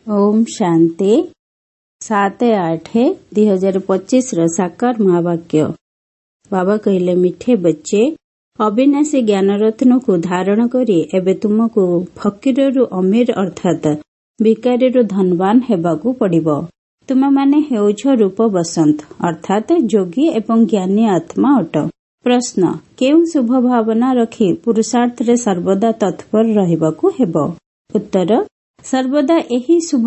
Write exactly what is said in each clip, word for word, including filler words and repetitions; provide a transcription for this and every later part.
ଓମ୍ ଶାନ୍ତି। ସାତ ଆଠ ଦୁଇ ହଜାର ପଚିଶର ସାକାର ମହାବାକ୍ୟ। ବାବା କହିଲେ, ମିଠେ ବଚ୍ଚେ, ଅବିନାଶୀ ଜ୍ଞାନରତ୍ନକୁ ଧାରଣ କରି ଏବେ ତୁମକୁ ଫକୀରରୁ ଅମୀର ଅର୍ଥାତ୍ ଭିକାରୀରୁ ଧନବାନ ହେବାକୁ ପଡ଼ିବ। ତୁମେମାନେ ହେଉଛ ରୂପ ବସନ୍ତ ଅର୍ଥାତ୍ ଯୋଗୀ ଏବଂ ଜ୍ଞାନୀ ଆତ୍ମା ଅଟ। ପ୍ରଶ୍ନ, କେଉଁ ଶୁଭ ଭାବନା ରଖି ପୁରୁଷାର୍ଥରେ ସର୍ବଦା ତତ୍ପର ରହିବାକୁ ହେବ? ଉତ୍ତର, ସର୍ବଦା ଏହି ଶୁଭ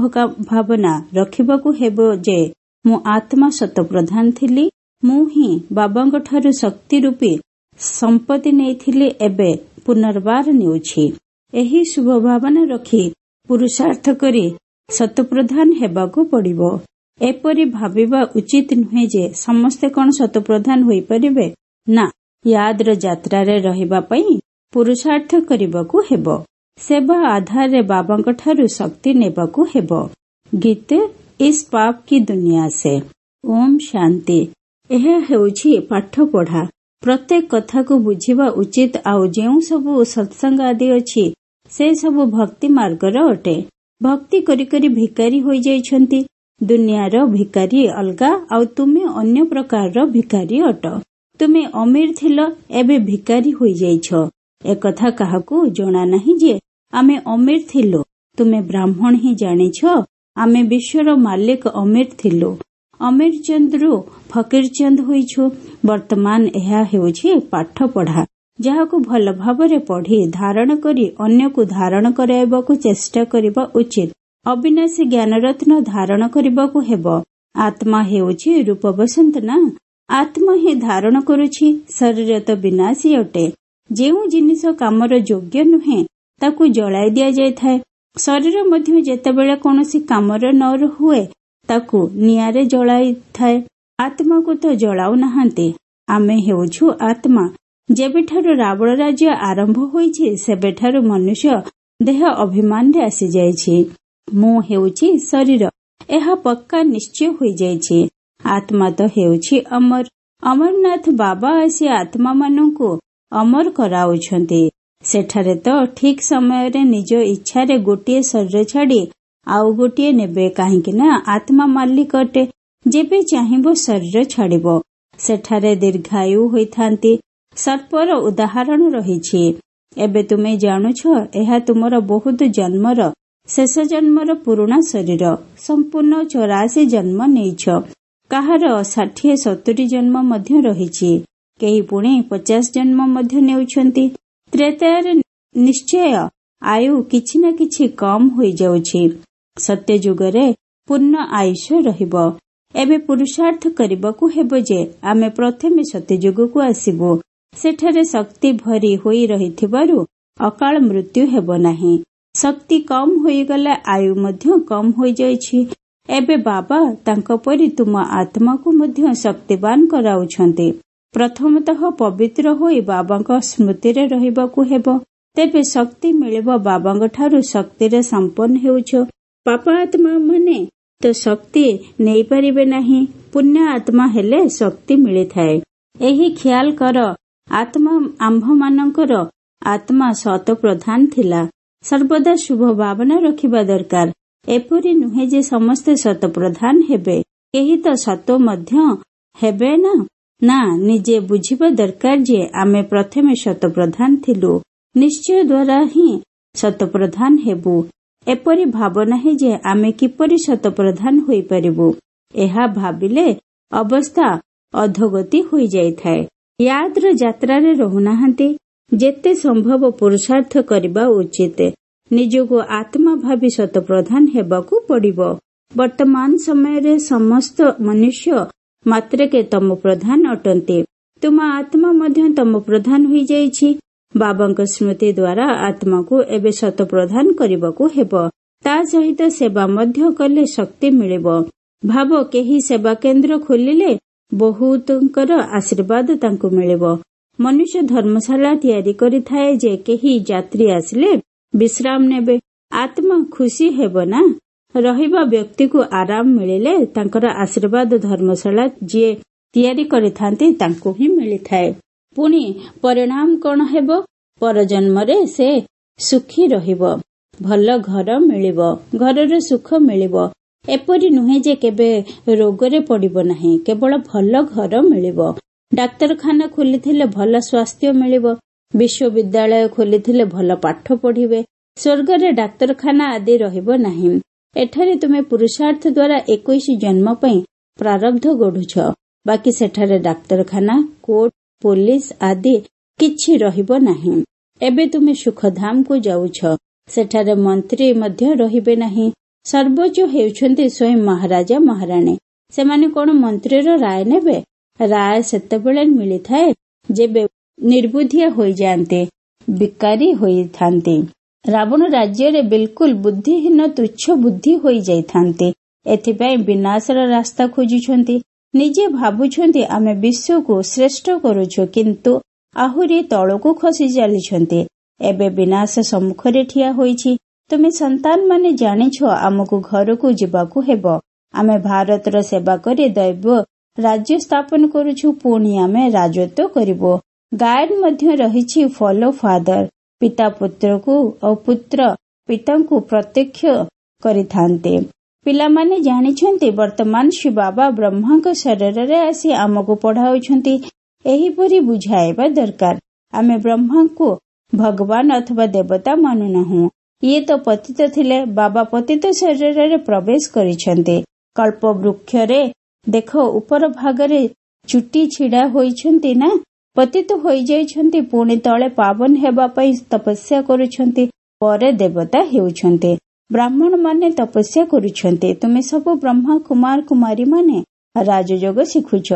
ଭାବନା ରଖିବାକୁ ହେବ ଯେ ମୁଁ ଆତ୍ମା ଶତପ୍ରଧାନ ଥିଲି, ମୁଁ ହିଁ ବାବାଙ୍କଠାରୁ ଶକ୍ତି ରୂପୀ ସମ୍ପତ୍ତି ନେଇଥିଲି, ଏବେ ପୁନର୍ବାର ନେଉଛି। ଏହି ଶୁଭ ଭାବନା ରଖି ପୁରୁଷାର୍ଥ କରି ଶତପ୍ରଧାନ ହେବାକୁ ପଡ଼ିବ। ଏପରି ଭାବିବା ଉଚିତ ନୁହେଁ ଯେ ସମସ୍ତେ କଣ ଶତପ୍ରଧାନ ହୋଇପାରିବେ। ନା, ୟାଦର ଯାତ୍ରାରେ ରହିବା ପାଇଁ ପୁରୁଷାର୍ଥ କରିବାକୁ ହେବ। ସେବା ଆଧାରରେ ବାବାଙ୍କଠାରୁ ଶକ୍ତି ନେବାକୁ ହେବ। ଗୀତ, ଇସ୍ ପାପ କି ଦୁନିଆ ସେ। ଓମ୍ ଶାନ୍ତି। ଏହା ହେଉଛି ପାଠ ପଢା। ପ୍ରତ୍ୟେକ କଥାକୁ ବୁଝିବା ଉଚିତ। ଆଉ ଯେଉଁ ସବୁ ସତ୍ସଙ୍ଗ ଆଦି ଅଛି, ସେ ସବୁ ଭକ୍ତି ମାର୍ଗର ଅଟେ। ଭକ୍ତି କରି କରି ଭିକାରୀ ହୋଇଯାଇଛନ୍ତି। ଦୁନିଆର ଭିକାରୀ ଅଲଗା ଆଉ ତୁମେ ଅନ୍ୟ ପ୍ରକାରର ଭିକାରୀ ଅଟ। ତୁମେ ଅମୀର ଥିଲ, ଏବେ ଭିକାରୀ ହୋଇଯାଇଛ। ଏକଥା କାହାକୁ ଜଣା ନାହିଁ ଯେ ଆମେ ଅମୀର ଥିଲୁ। ତୁମେ ବ୍ରାହ୍ମଣ ହିଁ ଜାଣିଛ ଆମେ ବିଶ୍ୱର ମାଲିକ ଅମୀର ଥିଲୁ। ଅମୀର ଚନ୍ଦରୁ ଫକୀର ଚନ୍ଦ ହୋଇଛୁ। ବର୍ତ୍ତମାନ ଏହା ହେଉଛି ପାଠ ପଢା, ଯାହାକୁ ଭଲ ଭାବରେ ପଢି ଧାରଣ କରି ଅନ୍ୟକୁ ଧାରଣ କରାଇବାକୁ ଚେଷ୍ଟା କରିବା ଉଚିତ। ଅବିନାଶୀ ଜ୍ଞାନରତ୍ନ ଧାରଣ କରିବାକୁ ହେବ। ଆତ୍ମା ହେଉଛି ରୂପ ବସନ୍ତ ନା, ଆତ୍ମା ହିଁ ଧାରଣ କରୁଛି। ଶରୀର ତ ବିନାଶୀ ଅଟେ। ଯେଉଁ ଜିନିଷ କାମର ଯୋଗ୍ୟ ନୁହେଁ, ତାକୁ ଜଳାଇ ଦିଆଯାଇଥାଏ। ଶରୀର ମଧ୍ୟ ଯେତେବେଳେ କୌଣସି କାମର ନ ହୁଏ, ତାକୁ ନିଆଁରେ ଜଳାଇଥାଏ। ଆତ୍ମାକୁ ତ ଜଳାଉ ନାହାନ୍ତି। ଆମେ ହେଉଛୁ ଆତ୍ମା। ଯେବେଠାରୁ ରାବଣ ରାଜ୍ୟ ଆରମ୍ଭ ହୋଇଛି, ସେବେଠାରୁ ମନୁଷ୍ୟ ଦେହ ଅଭିମାନରେ ଆସିଯାଇଛି। ମୁଁ ହେଉଛି ଶରୀର, ଏହା ପକ୍କା ନିଶ୍ଚୟ ହୋଇଯାଇଛି। ଆତ୍ମା ତ ହେଉଛି ଅମର। ଅମରନାଥ ବାବା ଆସି ଆତ୍ମାମାନଙ୍କୁ ଅମର କରାଉଛନ୍ତି। ସେଠାରେ ତ ଠିକ ସମୟରେ ନିଜ ଇଚ୍ଛାରେ ଗୋଟିଏ ଶରୀର ଛାଡି ଆଉ ଗୋଟିଏ ନେବେ, କାହିଁକି ନା ଆତ୍ମା ମାଲିକ ଅଟେ। ଯେବେ ଚାହିଁବ ଶରୀର ଛାଡିବ। ସେଠାରେ ଦୀର୍ଘାୟୁ ହୋଇଥାନ୍ତି। ସର୍ପର ଉଦାହରଣ ରହିଛି। ଏବେ ତୁମେ ଜାଣୁଛ ଏହା ତୁମର ବହୁତ ଜନ୍ମର ଶେଷ ଜନ୍ମର ପୁରୁଣା ଶରୀର। ସମ୍ପୂର୍ଣ୍ଣ ଚଉରାଶୀ ଜନ୍ମ ନେଇଛ। କାହାର ଷାଠିଏ ସତୁରି ଜନ୍ମ ମଧ୍ୟ ରହିଛି। କେହି ପୁଣି ପଚାଶ ଜନ୍ମ ମଧ୍ୟ ନେଉଛନ୍ତି। ତ୍ରେତୟାରେ ନିଶ୍ଚୟ ଆୟୁ କିଛି ନା କିଛି କମ୍ ହୋଇଯାଉଛି। ସତ୍ୟଯୁଗରେ ପୂର୍ଣ୍ଣ ଆୟୁଷ ରହିବ। ଏବେ ପୁରୁଷାର୍ଥ କରିବାକୁ ହେବ ଯେ ଆମେ ପ୍ରଥମେ ସତ୍ୟଯୁଗକୁ ଆସିବୁ। ସେଠାରେ ଶକ୍ତି ଭରି ହୋଇ ରହିଥିବାରୁ ଅକାଳ ମୃତ୍ୟୁ ହେବ ନାହିଁ। ଶକ୍ତି କମ୍ ହୋଇଗଲେ ଆୟୁ ମଧ୍ୟ କମ୍ ହୋଇଯାଇଛି। ଏବେ ବାବା ତାଙ୍କ ପରି ତୁମ ଆତ୍ମାକୁ ମଧ୍ୟ ଶକ୍ତିବାନ କରାଉଛନ୍ତି। ପ୍ରଥମତଃ ପବିତ୍ର ହୋଇ ବାବାଙ୍କ ସ୍ମୃତିରେ ରହିବାକୁ ହେବ, ତେବେ ଶକ୍ତି ମିଳିବ। ବାବାଙ୍କ ଠାରୁ ଶକ୍ତିରେ ସମ୍ପନ୍ନ ହେଉଛ। ପାପ ଆତ୍ମା ମାନେ ତ ଶକ୍ତି ନେଇପାରିବେ ନାହିଁ। ପୁଣ୍ୟ ଆତ୍ମା ହେଲେ ଶକ୍ତି ମିଳିଥାଏ। ଏହି ଖିଆଲ କର, ଆତ୍ମା ଆମ୍ଭମାନଙ୍କର ଆତ୍ମା ଶତପ୍ରଧାନ ଥିଲା। ସର୍ବଦା ଶୁଭ ଭାବନା ରଖିବା ଦରକାର। ଏପରି ନୁହେଁ ଯେ ସମସ୍ତେ ଶତପ୍ରଧାନ ହେବେ, କେହି ତ ସତ ମଧ୍ୟ ହେବେ ନା। ନା, ନିଜେ ବୁଝିବା ଦରକାର ଯେ ଆମେ ପ୍ରଥମେ ଶତପ୍ରଧାନ ଥିଲୁ, ନିଶ୍ଚୟ ଦ୍ୱାରା ହିଁ ଶତପ୍ରଧାନ ହେବୁ। ଏପରି ଭାବ ନାହିଁ ଯେ ଆମେ କିପରି ଶତପ୍ରଧାନ ହୋଇପାରିବୁ। ଏହା ଭାବିଲେ ଅବସ୍ଥା ଅଧୋଗତି ହୋଇଯାଇଥାଏ। ୟାଦର ଯାତ୍ରାରେ ରହୁନାହାନ୍ତି। ଯେତେ ସମ୍ଭବ ପୁରୁଷାର୍ଥ କରିବା ଉଚିତ। ନିଜକୁ ଆତ୍ମା ଭାବି ଶତପ୍ରଧାନ ହେବାକୁ ପଡ଼ିବ। ବର୍ତ୍ତମାନ ସମୟରେ ସମସ୍ତ ମନୁଷ୍ୟ ମାତ୍ରକେ ତମ ପ୍ରଧାନ ଅଟନ୍ତି। ତୁମ ଆତ୍ମା ମଧ୍ୟ ତମ ପ୍ରଧାନ ହୋଇଯାଇଛି। ବାବାଙ୍କ ସ୍ମୃତି ଦ୍ୱାରା ଆତ୍ମାକୁ ଏବେ ଶତପ୍ରଧାନ କରିବାକୁ ହେବ। ତା ସହିତ ସେବା ମଧ୍ୟ କଲେ ଶକ୍ତି ମିଳିବ। ଭାବ, କେହି ସେବା କେନ୍ଦ୍ର ଖୋଲିଲେ ବହୁତଙ୍କର ଆଶୀର୍ବାଦ ତାଙ୍କୁ ମିଳିବ। ମନୁଷ୍ୟ ଧର୍ମଶାଳା ତିଆରି କରିଥାଏ ଯେ କେହି ଯାତ୍ରୀ ଆସିଲେ ବିଶ୍ରାମ ନେବେ। ଆତ୍ମା ଖୁସି ହେବ ନା। ରହିବା ବ୍ୟକ୍ତିକୁ ଆରାମ ମିଳିଲେ ତାଙ୍କର ଆଶୀର୍ବାଦ ଧର୍ମଶାଳା ଯିଏ ତିଆରି କରିଥାନ୍ତି ତାଙ୍କୁ ହିଁ ମିଳିଥାଏ। ପୁଣି ପରିଣାମ କଣ ହେବ? ପରଜନ୍ମରେ ସେ ସୁଖୀ ରହିବ। ଭଲ ଘର ମିଳିବ, ଘରର ସୁଖ ମିଳିବ। ଏପରି ନୁହେଁ ଯେ କେବେ ରୋଗରେ ପଡ଼ିବ ନାହିଁ, କେବଳ ଭଲ ଘର ମିଳିବ। ଡାକ୍ତରଖାନା ଖୋଲିଥିଲେ ଭଲ ସ୍ୱାସ୍ଥ୍ୟ ମିଳିବ। ବିଶ୍ୱବିଦ୍ୟାଳୟ ଖୋଲିଥିଲେ ଭଲ ପାଠ ପଢ଼ିବେ। ସ୍ୱର୍ଗରେ ଡାକ୍ତରଖାନା ଆଦି ରହିବ ନାହିଁ। ଏଠାରେ ତୁମେ ପୁରୁଷାର୍ଥ ଦ୍ୱାରା ଏକୋଇଶ ଜନ୍ମ ପାଇଁ ପ୍ରାରବ୍ଧ ଗଢୁଛ। ବାକି ସେଠାରେ ଡାକ୍ତରଖାନା, କୋର୍ଟ, ପୋଲିସ ଆଦି କିଛି ରହିବ ନାହିଁ। ଏବେ ତୁମେ ସୁଖଧାମକୁ ଯାଉଛ, ସେଠାରେ ମନ୍ତ୍ରୀ ମଧ୍ୟ ରହିବେ ନାହିଁ। ସର୍ବୋଚ୍ଚ ହେଉଛନ୍ତି ସ୍ୱୟଂ ମହାରାଜା ମହାରାଣୀ। ସେମାନେ କଣ ମନ୍ତ୍ରୀର ରାୟ ନେବେ? ରାୟ ସେତେବେଳେ ମିଳିଥାଏ ଯେବେ ନିର୍ବୁଦ୍ଧିଆ ହୋଇଯାଆନ୍ତି, ବିକାରୀ ହୋଇଥାନ୍ତି। ରାବଣ ରାଜ୍ୟରେ ବିଲକୁଲ ବୁଦ୍ଧିହୀନ, ତୁଚ୍ଛ ବୁଦ୍ଧି ହୋଇଯାଇଥାନ୍ତି। ଏଥିପାଇଁ ବିନାଶର ରାସ୍ତା ଖୋଜୁଛନ୍ତି। ନିଜେ ଭାବୁଛନ୍ତି ଆମେ ବିଶ୍ୱକୁ ଶ୍ରେଷ୍ଠ କରୁଛୁ, କିନ୍ତୁ ଆହୁରି ତଳକୁ ଖସି ଚାଲିଛନ୍ତି। ଏବେ ବିନାଶ ସମ୍ମୁଖରେ ଠିଆ ହୋଇଛି। ତୁମେ ସନ୍ତାନମାନେ ଜାଣିଛ ଆମକୁ ଘରକୁ ଯିବାକୁ ହେବ। ଆମେ ଭାରତର ସେବା କରି ଦୈବ ରାଜ୍ୟ ସ୍ଥାପନ କରୁଛୁ, ପୁଣି ଆମେ ରାଜତ୍ୱ କରିବୁ। ଗାୟନ ମଧ୍ୟ ରହିଛି ଫଲୋ ଫାଦର। ପିତା ପୁତ୍ରକୁ ଓ ପୁତ୍ର ପିତାଙ୍କୁ ପ୍ରତ୍ୟକ୍ଷ କରିଥାନ୍ତି। ପିଲାମାନେ ଜାଣିଛନ୍ତି ବର୍ତ୍ତମାନ ଶିବ ବାବା ବ୍ରହ୍ମାଙ୍କ ଶରୀରରେ ଆସି ଆମକୁ ପଢାଉଛନ୍ତି। ଏହିପରି ବୁଝାଇବା ଦରକାର। ଆମେ ବ୍ରହ୍ମାଙ୍କୁ ଭଗବାନ ଅଥବା ଦେବତା ମାନୁନାହୁଁ। ଇଏ ତ ପତିତ ଥିଲେ, ବାବା ପତିତ ଶରୀରରେ ପ୍ରବେଶ କରିଛନ୍ତି। କଳ୍ପ ବୃକ୍ଷରେ ଦେଖ ଉପର ଭାଗରେ ଚୁଟି ଛିଡା ହୋଇଛନ୍ତି ନା, ପତିତ ହୋଇଯାଇଛନ୍ତି, ପୁଣି ତଳେ ପାବନ ହେବା ପାଇଁ ତପସ୍ୟା କରୁଛନ୍ତି, ପରେ ଦେବତା ହେଉଛନ୍ତି। ବ୍ରାହ୍ମଣ ମାନେ ତପସ୍ୟା କରୁଛନ୍ତି। ତୁମେ ସବୁ ବ୍ରହ୍ମା କୁମାର କୁମାରୀ ମାନେ ରାଜଯୋଗ ଶିଖୁଛ।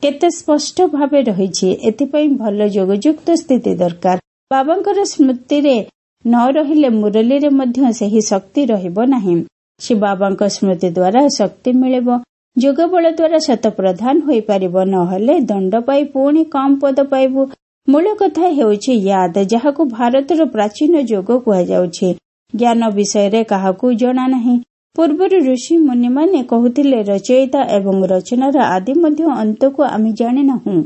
କେତେ ସ୍ପଷ୍ଟ ଭାବେ ରହିଛି। ଏଥିପାଇଁ ଭଲ ଯୋଗଯୁକ୍ତ ସ୍ଥିତି ଦରକାର। ବାବାଙ୍କର ସ୍ମୃତିରେ ନ ରହିଲେ ମୁରଲୀରେ ମଧ୍ୟ ସେହି ଶକ୍ତି ରହିବ ନାହିଁ। ଶିବ ବାବାଙ୍କ ସ୍ମୃତି ଦ୍ୱାରା ଶକ୍ତି ମିଳିବ। ଯୋଗ ବଳ ଦ୍ୱାରା ଶତପ୍ରଧାନ ହୋଇପାରିବ, ନହେଲେ ଦଣ୍ଡ ପାଇ ପୁଣି କମ ପଦ ପାଇବୁ। ମୂଳ କଥା ହେଉଛି ୟାଦ, ଯାହାକୁ ଭାରତର ପ୍ରାଚୀନ ଯୋଗ କୁହାଯାଉଛି। ଜ୍ଞାନ ବିଷୟରେ କାହାକୁ ଜଣା ନାହିଁ। ପୂର୍ବରୁ ଋଷି ମୁନିମାନେ କହୁଥିଲେ ରଚୟିତା ଏବଂ ରଚନାର ଆଦି ମଧ୍ୟ ଅନ୍ତକୁ ଆମେ ଜାଣିନାହୁଁ।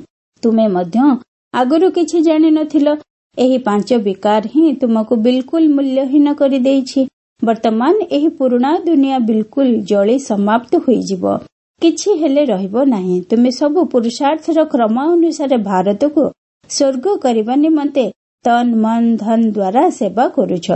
ତୁମେ ମଧ୍ୟ ଆଗରୁ କିଛି ଜାଣିନଥିଲ। ଏହି ପାଞ୍ଚ ବିକାର ହିଁ ତୁମକୁ ବିଲକୁଲ ମୂଲ୍ୟହୀନ କରିଦେଇଛି। ବର୍ତ୍ତମାନ ଏହି ପୁରୁଣା ଦୁନିଆ ବିଲକୁଲ ଜଳି ସମାପ୍ତ ହୋଇଯିବ, କିଛି ହେଲେ ରହିବ ନାହିଁ। ତୁମେ ସବୁ ପୁରୁଷାର୍ଥର କ୍ରମ ଅନୁସାରେ ଭାରତକୁ ସ୍ୱର୍ଗ କରିବା ନିମନ୍ତେ ତନ ମନ ଧନ ଦ୍ୱାରା ସେବା କରୁଛ।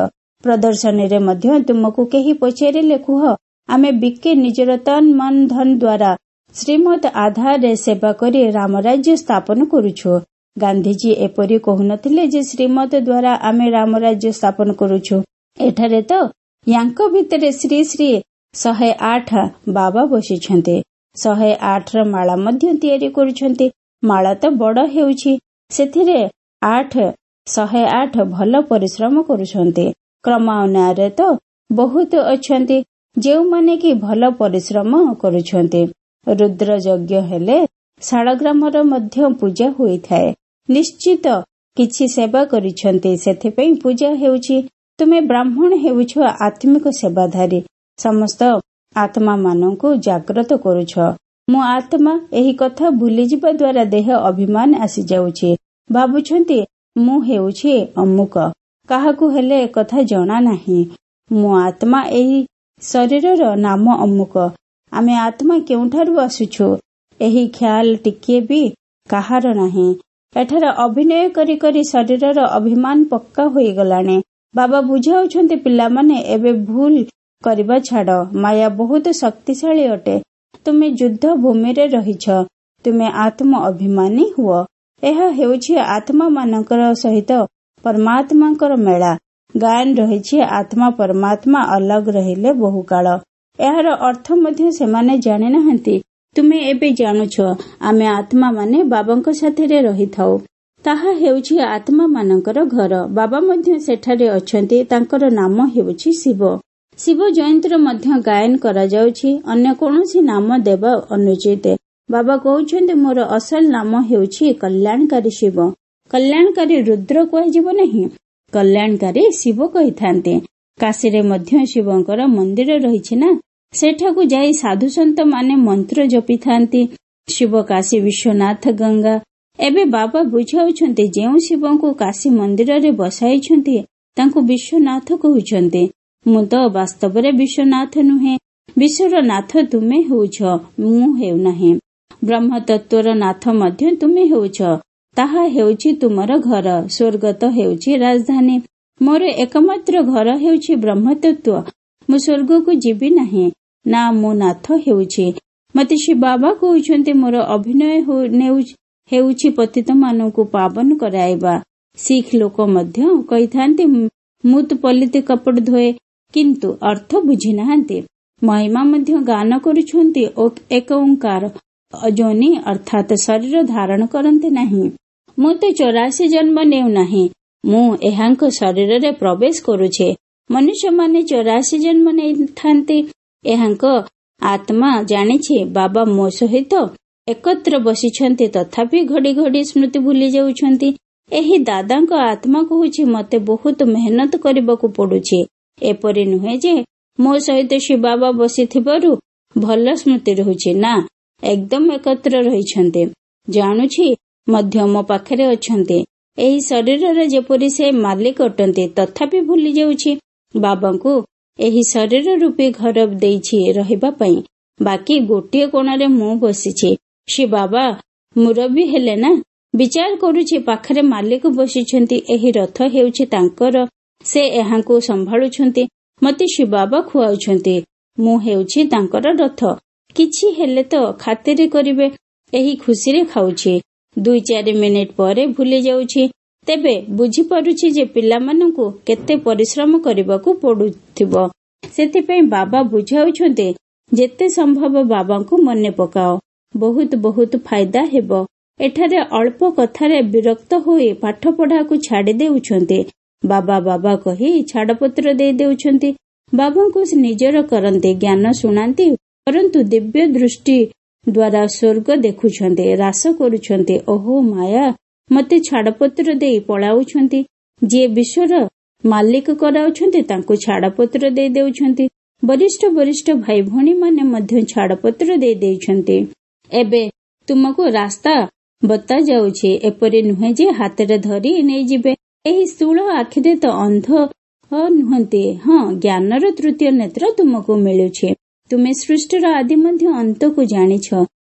ପ୍ରଦର୍ଶନୀରେ ମଧ୍ୟ ତୁମକୁ କେହି ପଚାରିଲେ କୁହ, ଆମେ ବିକେ ନିଜର ତନ ମନ ଧନ ଦ୍ୱାରା ଶ୍ରୀମତ ଆଧାରରେ ସେବା କରି ରାମରାଜ୍ୟ ସ୍ଥାପନ କରୁଛୁ। ଗାନ୍ଧିଜୀ ଏପରି କହୁନଥିଲେ ଯେ ଶ୍ରୀମତ ଦ୍ୱାରା ଆମେ ରାମରାଜ୍ୟ ସ୍ଥାପନ କରୁଛୁ। ଏଠାରେ ତ ୟାଙ୍କ ଭିତରେ ଶ୍ରୀ ଶ୍ରୀ ଶହେ ଆଠ ବାବା ବସିଛନ୍ତି। ଶହେ ଆଠର ମାଳା ମଧ୍ୟ ତିଆରି କରୁଛନ୍ତି। ମାଳା ତ ବଡ ହେଉଛି, ସେଥିରେ ଆଠ ଶହେ ଆଠ ଭଲ ପରିଶ୍ରମ କରୁଛନ୍ତି। କ୍ରମାନ୍ୱୟରେ ତ ବହୁତ ଅଛନ୍ତି ଯେଉଁମାନେ କି ଭଲ ପରିଶ୍ରମ କରୁଛନ୍ତି। ରୁଦ୍ର ଯଜ୍ଞ ହେଲେ ଶାଳଗ୍ରାମର ମଧ୍ୟ ପୂଜା ହୋଇଥାଏ। ନିଶ୍ଚିତ କିଛି ସେବା କରିଛନ୍ତି, ସେଥିପାଇଁ ପୂଜା ହେଉଛି। ତୁମେ ବ୍ରାହ୍ମଣ ହେଉଛ ଆତ୍ମିକ ସେବାଧାରୀ, ସମସ୍ତ ଆତ୍ମା ମାନଙ୍କୁ ଜାଗ୍ରତ କରୁଛ। ମୁଁ ଆତ୍ମା, ଏହି କଥା ଭୁଲିଯିବା ଦ୍ୱାରା ଦେହ ଅଭିମାନ ଆସିଯାଉଛି। ଭାବୁଛନ୍ତି ମୁଁ ହେଉଛି ଅମୁକ, କାହାକୁ ହେଲେ ଏକଥା ଜଣା ନାହିଁ। ମୁଁ ଆତ୍ମା, ଏହି ଶରୀରର ନାମ ଅମୁକ। ଆମେ ଆତ୍ମା କେଉଁଠାରୁ ଆସୁଛୁ, ଏହି ଖ୍ୟାଲ ଟିକିଏ ବି କାହାର ନାହିଁ। ଏଠାରେ ଅଭିନୟ କରି କରି ଶରୀରର ଅଭିମାନ ପକ୍କା ହୋଇଗଲାଣି। ବାବା ବୁଝାଉଛନ୍ତି ପିଲାମାନେ ଏବେ ଭୁଲ କରିବା ଛାଡ। ମାୟା ବହୁତ ଶକ୍ତିଶାଳୀ ଅଟେ। ତୁମେ ଯୁଦ୍ଧ ଭୂମିରେ ରହିଛ, ତୁମେ ଆତ୍ମ ଅଭିମାନୀ ହୁଅ। ଏହା ହେଉଛି ଆତ୍ମା ମାନଙ୍କର ସହିତ ପରମାତ୍ମାଙ୍କର ମେଳା। ଗାୟନ ରହିଛି ଆତ୍ମା ପରମାତ୍ମା ଅଲଗ ରହିଲେ ବହୁକାଳ। ଏହାର ଅର୍ଥ ମଧ୍ୟ ସେମାନେ ଜାଣିନାହାନ୍ତି। ତୁମେ ଏବେ ଜାଣୁଛ ଆମେ ଆତ୍ମା ମାନେ ବାବାଙ୍କ ସାଥିରେ ରହିଥାଉ। ତାହା ହେଉଛି ଆତ୍ମା ମାନଙ୍କର ଘର। ବାବା ମଧ୍ୟ ସେଠାରେ ଅଛନ୍ତି। ତାଙ୍କର ନାମ ହେଉଛି ଶିବ। ଶିବ ଜୟନ୍ତୀର ମଧ୍ୟ ଗାୟନ କରାଯାଉଛି। ଅନ୍ୟ କୌଣସି ନାମ ଦେବା ଅନୁଚିତ। ବାବା କହୁଛନ୍ତି ମୋର ଅସଲ ନାମ ହେଉଛି କଲ୍ୟାଣକାରୀ ଶିବ। କଲ୍ୟାଣକାରୀ ରୁଦ୍ର କୁହାଯିବ ନାହିଁ, କଲ୍ୟାଣକାରୀ ଶିବ କହିଥାନ୍ତି। କାଶୀରେ ମଧ୍ୟ ଶିବଙ୍କର ମନ୍ଦିର ରହିଛି ନା, ସେଠାକୁ ଯାଇ ସାଧୁସନ୍ଥ ମାନେ ମନ୍ତ୍ର ଜପିଥାନ୍ତି, ଶିବ କାଶୀ ବିଶ୍ୱନାଥ ଗଙ୍ଗା। ଏବେ ବାବା ବୁଝାଉଛନ୍ତି ଯେଉଁ ଶିବଙ୍କୁ କାଶୀ ମନ୍ଦିରରେ ବସାଇଛନ୍ତି ତାଙ୍କୁ ବିଶ୍ୱନାଥ କହୁଛନ୍ତି। ମୁଁ ତ ବାସ୍ତବରେ ବିଶ୍ୱନାଥ ନୁହେଁ, ବିଶ୍ୱର ନାଥ ତୁମେ ହେଉଛ, ମୁଁ ହେଉନାହିଁ। ବ୍ରହ୍ମତତ୍ତ୍ୱର ନାଥ ମଧ୍ୟ ତୁମେ ହେଉଛ। ତାହା ହେଉଛି ତୁମର ଘର, ସ୍ୱର୍ଗ ତ ହେଉଛି ରାଜଧାନୀ। ମୋର ଏକମାତ୍ର ଘର ହେଉଛି ବ୍ରହ୍ମତତ୍ତ୍ୱ। ମୁଁ ସ୍ୱର୍ଗକୁ ଯିବି ନାହିଁ ନା, ମୁଁ ନାଥ ହେଉଛି। ମତେ ଶିବ ବାବା କହୁଛନ୍ତି, ମୋର ଅଭିନୟ ହେଉଛି ପତିତମାନଙ୍କୁ ପାବନ କରାଇବା। ଶିଖ ଲୋକ ମଧ୍ୟ କହିଥାନ୍ତି, ମୁଁ ତ ପଲିତି କପଟ ଧୋଏ, କିନ୍ତୁ ଅର୍ଥ ବୁଝି ନାହାନ୍ତି। ମହିମା ମଧ୍ୟ ଗାନ କରୁଛନ୍ତି ଓ ଏକ ଓଙ୍କାର ଅଯୋନି ଅର୍ଥାତ ଶରୀର ଧାରଣ କରନ୍ତି ନାହିଁ। ମୁଁ ତ ଚଉରାଶୀ ଜନ୍ମ ନେଉନାହିଁ, ମୁଁ ଏହାଙ୍କ ଶରୀରରେ ପ୍ରବେଶ କରୁଛି। ମନୁଷ୍ୟମାନେ ଚଉରାଶୀ ଜନ୍ମ ନେଇଥାନ୍ତି। ଏହାଙ୍କ ଆତ୍ମା ଜାଣିଛି ବାବା ମୋ ସହିତ ଏକତ୍ର ବସିଛନ୍ତି, ତଥାପି ଘଡ଼ି ଘଡ଼ି ସ୍ମୃତି ଭୁଲି ଯାଉଛନ୍ତି। ଏହି ଦାଦାଙ୍କ ଆତ୍ମା କହୁଛି, ମତେ ବହୁତ ମେହନତ କରିବାକୁ ପଡୁଛି। ଏପରି ନୁହେଁ ଯେ ମୋ ସହିତ ଶିବ ବାବା ବସିଥିବାରୁ ଭଲ ସ୍ମୃତି ରହୁଛି ନା, ଏକଦମ ଏକତ୍ର ରହିଛନ୍ତି। ଜାଣୁଛି ମଧ୍ୟ ମୋ ପାଖରେ ଅଛନ୍ତି। ଏହି ଶରୀରର ଯେପରି ସେ ମାଲିକ ଅଟନ୍ତି, ତଥାପି ଭୁଲି ଯାଉଛି। ବାବାଙ୍କୁ ଏହି ଶରୀର ରୂପୀ ଘର ଦେଇଛି ରହିବା ପାଇଁ, ବାକି ଗୋଟିଏ କୋଣରେ ମୁଁ ବସିଛି। ସେ ବାବା ମୁରବୀ ହେଲେ ନା, ବିଚାର କରୁଛି ପାଖରେ ମାଲିକ ବସିଛନ୍ତି। ଏହି ରଥ ହେଉଛି ତାଙ୍କର, ସେ ଏହାଙ୍କୁ ସମ୍ଭାଳୁଛନ୍ତି। ମତେ ଶିବ ବାବା ଖୁଆଉଛନ୍ତି, ମୁଁ ହେଉଛି ତାଙ୍କର ରଥ। କିଛି ହେଲେ ତ ଖାତିରି କରିବେ, ଏହି ଖୁସିରେ ଖାଉଛି। ଦୁଇ ଚାରି ମିନିଟ ପରେ ଭୁଲି ଯାଉଛି। ତେବେ ବୁଝିପାରୁଛି ଯେ ପିଲାମାନଙ୍କୁ କେତେ ପରିଶ୍ରମ କରିବାକୁ ପଡୁଥିବ। ସେଥିପାଇଁ ବାବା ବୁଝାଉଛନ୍ତି, ଯେତେ ସମ୍ଭବ ବାବାଙ୍କୁ ମନେ ପକାଅ, ବହୁତ ବହୁତ ଫାଇଦା ହେବ। ଏଠାରେ ଅଳ୍ପ କଥାରେ ବିରକ୍ତ ହୋଇ ପାଠ ପଢାକୁ ଛାଡି ଦେଉଛନ୍ତି। ବାବା ବାବା କହି ଛାଡପତ୍ର ଦେଇ ଦେଉଛନ୍ତି। ବାବାଙ୍କୁ ନିଜର କରନ୍ତି, ଜ୍ଞାନ ଶୁଣାନ୍ତି, ପରନ୍ତୁ ଦିବ୍ୟ ଦୃଷ୍ଟି ଦ୍ୱାରା ସ୍ୱର୍ଗ ଦେଖୁଛନ୍ତି, ହ୍ରାସ କରୁଛନ୍ତି। ଓହୋ ମାୟା, ମତେ ଛାଡପତ୍ର ଦେଇ ପଳାଉଛନ୍ତି। ଯିଏ ବିଶ୍ୱର ମାଲିକ କରାଉଛନ୍ତି ତାଙ୍କୁ ଛାଡପତ୍ର ଦେଇ ଦେଉଛନ୍ତି। ବରିଷ୍ଠ ବରିଷ୍ଠ ଭାଇ ଭଉଣୀ ମାନେ ମଧ୍ୟ ଛାଡପତ୍ର ଦେଇ ଦେଇଛନ୍ତି। ଏବେ ତୁମକୁ ରାସ୍ତା ବତା ଯାଉଛି। ଏପରି ନୁହେଁ ଯେ ହାତରେ ଧରି ନେଇଯିବେ। ଏହି ସ୍ଥୂଳ ଆଖିରେ ତ ଅନ୍ଧ ନୁହନ୍ତି। ହଁ, ଜ୍ଞାନର ତୃତୀୟ ନେତ୍ର ତୁମକୁ ମିଳୁଛି। ତୁମେ ସୃଷ୍ଟିର ଆଦି ମଧ୍ୟ ଅନ୍ତକୁ ଜାଣିଛ।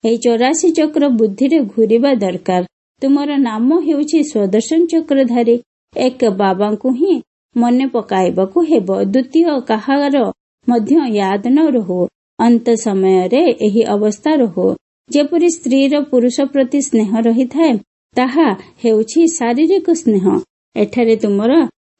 ଏହି ଚଉରାଶୀ ଚକ୍ର ବୁଦ୍ଧିରେ ଘୁରିବା ଦରକାର। ତୁମର ନାମ ହେଉଛି ସ୍ୱଦର୍ଶନ ଚକ୍ରଧାରୀ। ଏକ ବାବାଙ୍କୁ ହିଁ ମନେ ପକାଇବାକୁ ହେବ, ଦ୍ୱିତୀୟ କାହାର ମଧ୍ୟ ୟାଦ ନ ରହୁ। ଅନ୍ତ ସମୟରେ ଏହି ଅବସ୍ଥା ରହୁ। ଯେପରି ସ୍ତ୍ରୀର ପୁରୁଷ ପ୍ରତି ସ୍ନେହ ରହିଥାଏ, ତାହା ହେଉଛି ଶାରୀରିକ ସ୍ନେହ। ଏଠାରେ ତୁମର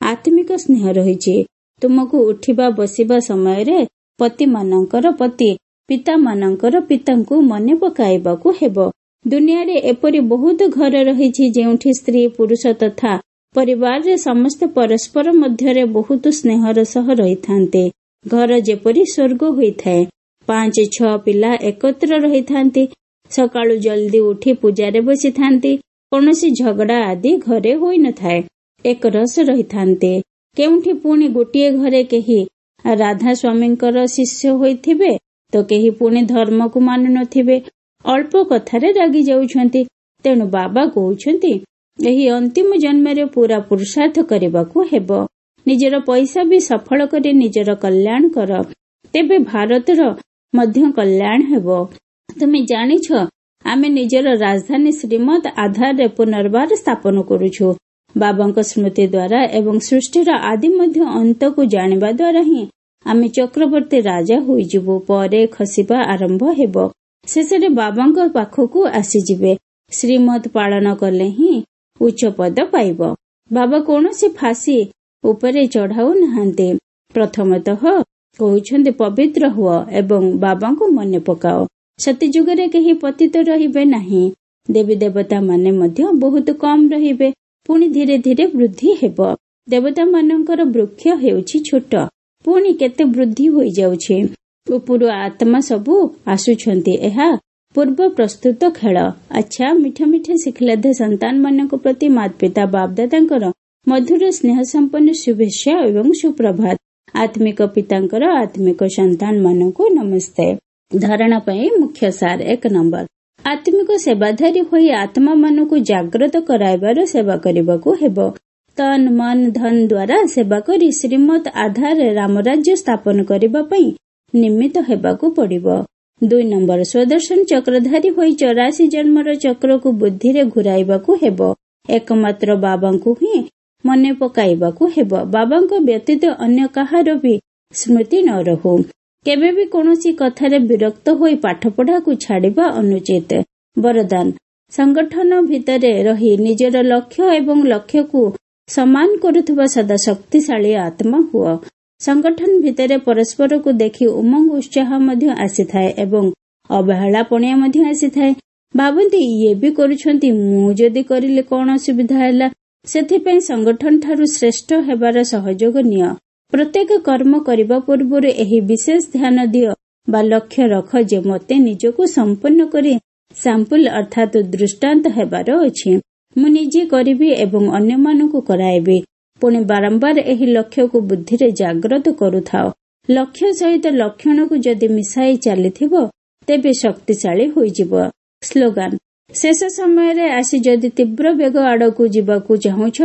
ଆତ୍ମିକ ସ୍ନେହ ରହିଛି। ତୁମକୁ ଉଠିବା ବସିବା ସମୟରେ ପତିମାନଙ୍କର ପତି, ପିତାମାନଙ୍କର ପିତାଙ୍କୁ ମନେ ପକାଇବାକୁ ହେବ। ଦୁନିଆରେ ଏପରି ବହୁତ ଘର ରହିଛି ଯେଉଁଠି ସ୍ତ୍ରୀ ପୁରୁଷ ତଥା ପରିବାରରେ ସମସ୍ତେ ପରସ୍ପର ମଧ୍ୟରେ ବହୁତ ସ୍ନେହର ସହ ରହିଥାନ୍ତି। ଘର ଯେପରି ସ୍ୱର୍ଗ ହୋଇଥାଏ। ପାଞ୍ଚ ଛଅ ପିଲା ଏକତ୍ର ରହିଥାନ୍ତି। ସକାଳୁ ଜଲ୍ଦି ଉଠି ପୂଜାରେ ବସିଥାନ୍ତି। କୌଣସି ଝଗଡା ଆଦି ଘରେ ହୋଇନଥାଏ, ଏକରସ ରହିଥାନ୍ତି। କେଉଁଠି ପୁଣି ଗୋଟିଏ ଘରେ କେହି ରାଧା ସ୍ୱାମୀଙ୍କର ଶିଷ୍ୟ ହୋଇଥିବେ ତ କେହି ପୁଣି ଧର୍ମକୁ ମାନୁନଥିବେ, ଅଳ୍ପ କଥାରେ ରାଗି ଯାଉଛନ୍ତି। ତେଣୁ ବାବା କହୁଛନ୍ତି, ଏହି ଅନ୍ତିମ ଜନ୍ମରେ ପୁରା ପୁରୁଷାର୍ଥ କରିବାକୁ ହେବ। ନିଜର ପଇସା ବି ସଫଳ କରି ନିଜର କଲ୍ୟାଣ କର, ତେବେ ଭାରତର ମଧ୍ୟ କଲ୍ୟାଣ ହେବ। ତୁମେ ଜାଣିଛ, ଆମେ ନିଜର ରାଜଧାନୀ ଶ୍ରୀମତ ଆଧାରରେ ପୁନର୍ବାର ସ୍ଥାପନ କରୁଛୁ। ବାବାଙ୍କ ସ୍ମୃତି ଦ୍ୱାରା ଏବଂ ସୃଷ୍ଟିର ଆଦି ମଧ୍ୟ ଅନ୍ତକୁ ଜାଣିବା ଦ୍ୱାରା ହିଁ ଆମେ ଚକ୍ରବର୍ତ୍ତୀ ରାଜା ହୋଇଯିବୁ। ପରେ ଖସିବା ଆରମ୍ଭ ହେବ, ଶେଷରେ ବାବାଙ୍କ ପାଖକୁ ଆସିଯିବେ। ଶ୍ରୀମତ ପାଳନ କଲେ ହିଁ ଉଚ୍ଚ ପଦ ପାଇବ। ବାବା କୌଣସି ଫାଶୀ ଉପରେ ଚଢାଉ ନାହାନ୍ତି। ପ୍ରଥମତଃ କହୁଛନ୍ତି ପବିତ୍ର ହୁଅ ଏବଂ ବାବାଙ୍କୁ ମନେ ପକାଅ। ସତୀଯୁଗରେ କେହି ପତିତ ରହିବେ ନାହିଁ। ଦେବୀ ଦେବତା ମାନେ ମଧ୍ୟ ବହୁତ କମ ରହିବେ, ପୁଣି ଧୀରେ ଧୀରେ ବୃଦ୍ଧି ହେବ। ଦେବତା ମାନଙ୍କର ବୃକ୍ଷ ହେଉଛି ଛୋଟ, ପୁଣି କେତେ ବୃଦ୍ଧି ହୋଇଯାଉଛି। ଉପରୁ ଆତ୍ମା ସବୁ ଆସୁଛନ୍ତି। ଏହା ପୂର୍ବ ପ୍ରସ୍ତୁତ ଖେଳ। ଆଚ୍ଛା, ମିଠା ମିଠା ଶିଖିଲାଧେ ସନ୍ତାନ ମାନଙ୍କ ପ୍ରତି ମାତା ପିତା ବାପଦାଦାଙ୍କର ମଧୁର ସ୍ନେହ ସମ୍ପନ୍ନ ଶୁଭେଚ୍ଛା ଏବଂ ସୁପ୍ରଭାତ। ଆତ୍ମିକ ପିତାଙ୍କର ଆତ୍ମିକ ସନ୍ତାନ ମାନଙ୍କୁ ନମସ୍ତେ। ଧାରଣା ପାଇଁ ମୁଖ୍ୟ ସାର। ଏକ ନମ୍ବର, ଆତ୍ମିକ ସେବାଧାରୀ ହୋଇ ଆତ୍ମା ମାନଙ୍କୁ ଜାଗ୍ରତ କରାଇବାର ସେବା କରିବାକୁ ହେବ। ତନ ମନ ଧନ ଦ୍ୱାରା ସେବା କରି ଶ୍ରୀମତ ଆଧାରରେ ରାମରାଜ୍ୟ ସ୍ଥାପନ କରିବା ପାଇଁ ନିମିତ୍ତ ହେବାକୁ ପଡ଼ିବ। ଦୁଇ ନମ୍ବର, ସ୍ୱଦର୍ଶନ ଚକ୍ରଧାରୀ ହୋଇ ଚଉରାଶୀ ଜନ୍ମର ଚକ୍ରକୁ ବୁଦ୍ଧିରେ ଘୁରାଇବାକୁ ହେବ। ଏକମାତ୍ର ବାବାଙ୍କୁ ହିଁ ମନେ ପକାଇବାକୁ ହେବ। ବାବାଙ୍କ ବ୍ୟତୀତ ଅନ୍ୟ କାହାର ବି ସ୍ମୃତି ନ ରହୁ। କେବେ ବି କୌଣସି କଥାରେ ବିରକ୍ତ ହୋଇ ପାଠପଢ଼ାକୁ ଛାଡ଼ିବା ଅନୁଚିତ। ବରଦାନ, ସଂଗଠନ ଭିତରେ ରହି ନିଜର ଲକ୍ଷ୍ୟ ଏବଂ ଲକ୍ଷ୍ୟକୁ ସମାନ କରୁଥିବା ସଦା ଶକ୍ତିଶାଳୀ ଆତ୍ମା ହୁଅ। ସଂଗଠନ ଭିତରେ ପରସ୍ପରକୁ ଦେଖି ଉମଙ୍ଗ ଉତ୍ସାହ ମଧ୍ୟ ଆସିଥାଏ ଏବଂ ଅବହେଳା ପଣିଆ ମଧ୍ୟ ଆସିଥାଏ। ଭାବନ୍ତି ଇଏ ବି କରୁଛନ୍ତି, ମୁଁ ଯଦି କରିଲେ କଣ ଅସୁବିଧା ହେଲା? ସେଥିପାଇଁ ସଂଗଠନ ଠାରୁ ଶ୍ରେଷ୍ଠ ହେବାର ସହଯୋଗ ନିଅ। ପ୍ରତ୍ୟେକ କର୍ମ କରିବା ପୂର୍ବରୁ ଏହି ବିଶେଷ ଧ୍ୟାନ ଦିଅ ବା ଲକ୍ଷ୍ୟ ରଖ ଯେ ମୋତେ ନିଜକୁ ସମ୍ପନ୍ନ କରି ସାମ୍ପୁଲ ଅର୍ଥାତ୍ ଦୃଷ୍ଟାନ୍ତ ହେବାର ଅଛି। ମୁଁ ନିଜେ କରିବି ଏବଂ ଅନ୍ୟମାନଙ୍କୁ କରାଇବି। ପୁଣି ବାରମ୍ବାର ଏହି ଲକ୍ଷ୍ୟକୁ ବୁଦ୍ଧିରେ ଜାଗ୍ରତ କରୁଥାଅ। ଲକ୍ଷ୍ୟ ସହିତ ଲକ୍ଷଣକୁ ଯଦି ମିଶାଇ ଚାଲିଥିବ ତେବେ ଶକ୍ତିଶାଳୀ ହୋଇଯିବ। ସ୍ଲୋଗାନ, ଶେଷ ସମୟରେ ଆସି ଯଦି ତୀବ୍ର ବେଗ ଆଡ଼କୁ ଯିବାକୁ ଚାହୁଁଛ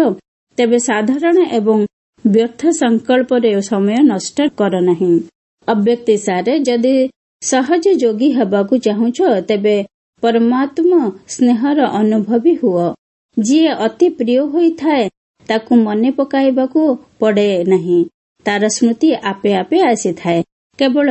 ତେବେ ସାଧାରଣ ଏବଂ ବ୍ୟର୍ଥ ସଂକଳ୍ପରେ ସମୟ ନଷ୍ଟ କର ନାହିଁ। ଅବ୍ୟକ୍ତି ସାରେ, ଯଦି ସହଜ ଯୋଗୀ ହେବାକୁ ଚାହୁଁଛ ତେବେ ପରମାତ୍ମ ସ୍ନେହର ଅନୁଭବୀ ହୁଅ। ଯିଏ ଅତି ପ୍ରିୟ ହୋଇଥାଏ ତାକୁ ମନେ ପକାଇବାକୁ ପଡ଼େ ନାହିଁ, ତାର ସ୍ମୃତି ଆପେ ଆପେ ଆସିଥାଏ। କେବଳ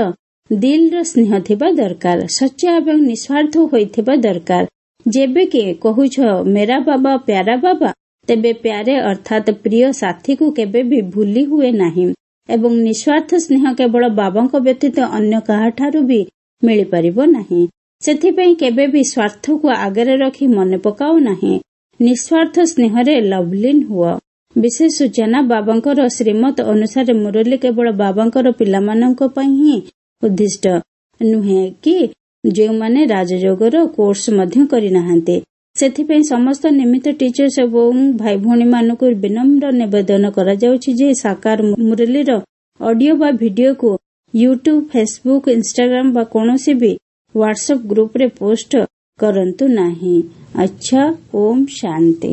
ଦିଲର ସ୍ନେହ ଥିବା ଦରକାର, ସଚ୍ଚା ଏବଂ ନିସ୍ୱାର୍ଥ ହୋଇଥିବା ଦରକାର। ଯେବେ କି କହୁଛ ମେରା ବାବା ପ୍ୟାରା ବାବା, ତେବେ ପ୍ୟାରେ ଅର୍ଥାତ୍ ପ୍ରିୟ ସାଥୀକୁ କେବେ ବି ଭୁଲି ହୁଏ ନାହିଁ ଏବଂ ନିସ୍ୱାର୍ଥ ସ୍ନେହ କେବଳ ବାବାଙ୍କ ବ୍ୟତୀତ ଅନ୍ୟ କାହାଠାରୁ ବି ମିଳିପାରିବ ନାହିଁ। ସେଥିପାଇଁ କେବେ ବି ସ୍ୱାର୍ଥକୁ ଆଗରେ ରଖି ମନେ ପକାଅ ନାହିଁ। ନିସ୍ୱାର୍ଥ ସ୍ନେହରେ ଲଭଲିନ ହୁଅ। ବିଶେଷ ସୂଚନା, ବାବାଙ୍କର ଶ୍ରୀମତ ଅନୁସାରେ ମୁରଲୀ କେବଳ ବାବାଙ୍କର ପିଲାମାନଙ୍କ ପାଇଁ ହିଁ ଉଦ୍ଦିଷ୍ଟ ନୁହେଁ କି ଯେଉଁମାନେ ରାଜଯୋଗର କୋର୍ସ ମଧ୍ୟ କରିନାହାନ୍ତି। ସେଥିପାଇଁ ସମସ୍ତ ନିମିତ୍ତ ଟିଚର୍ସ ଏବଂ ଭାଇ ଭଉଣୀମାନଙ୍କୁ ବିନମ୍ର ନିବେଦନ କରାଯାଉଛି ଯେ ସାକାର ମୁରଲୀର ଅଡିଓ ବା ଭିଡିଓକୁ ୟୁଟ୍ୟୁବ, ଫେସବୁକ୍, ଇନଷ୍ଟାଗ୍ରାମ ବା କୌଣସି ବି ହ୍ୱାଟ୍ସଆପ୍ ଗ୍ରୁପରେ ପୋଷ୍ଟ କରନ୍ତୁ ନାହିଁ। ଆଚ୍ଛା, ଓମ୍ ଶାନ୍ତି।